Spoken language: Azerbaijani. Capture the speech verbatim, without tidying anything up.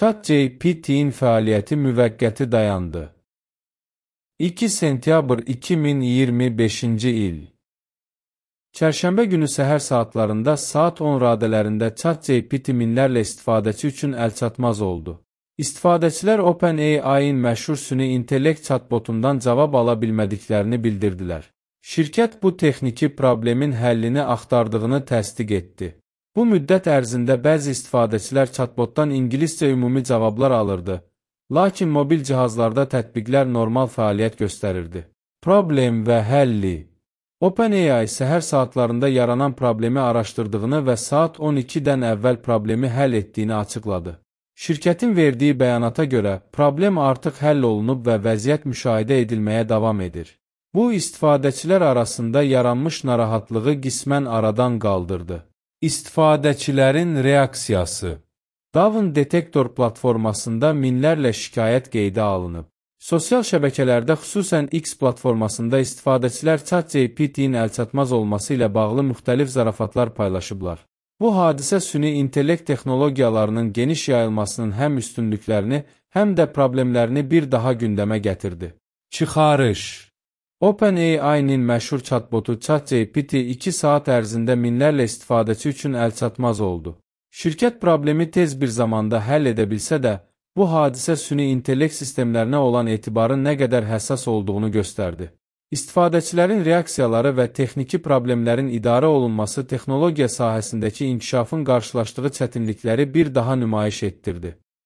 ChatGPT-in fəaliyyəti müvəqqəti dayandı. iki sentyabr iki min iyirmi beşinci il Çərşənbə günü səhər saatlarında saat on radələrində ChatGPT minlərlə istifadəçi üçün əlçatmaz oldu. İstifadəçilər OpenAI-in məşhur süni intellekt chatbotundan cavab ala bilmədiklərini bildirdilər. Şirkət bu texniki problemin həllini axtardığını təsdiq etdi. Bu müddət ərzində bəzi istifadəçilər chatbotdan ingiliscə ümumi cavablar alırdı, lakin mobil cihazlarda tətbiqlər normal fəaliyyət göstərirdi. Problem və həlli OpenAI səhər saatlarında yaranan problemi araşdırdığını və saat on ikidən əvvəl problemi həll etdiyini açıqladı. Şirkətin verdiyi bəyanata görə, problem artıq həll olunub və vəziyyət müşahidə edilməyə davam edir. Bu, istifadəçilər arasında yaranmış narahatlığı qismən aradan qaldırdı. İstifadəçilərin reaksiyası Davin Detektor platformasında minlərlə şikayət qeydə alınıb. Sosial şəbəkələrdə, xüsusən X platformasında istifadəçilər ChatGPT-in əlçatmaz olması ilə bağlı müxtəlif zarafatlar paylaşıblar. Bu hadisə süni intellekt texnologiyalarının geniş yayılmasının həm üstünlüklərini, həm də problemlərini bir daha gündəmə gətirdi. Çıxarış OpenAI-nin məşhur chatbotu ChatGPT iki saat ərzində minlərlə istifadəçi üçün əlçatmaz oldu. Şirkət problemi tez bir zamanda həll edə bilsə də, bu hadisə süni intellekt sistemlərinə olan etibarın nə qədər həssas olduğunu göstərdi. İstifadəçilərin reaksiyaları və texniki problemlərin idarə olunması texnologiya sahəsindəki inkişafın qarşılaşdığı çətinlikləri bir daha nümayiş etdirdi.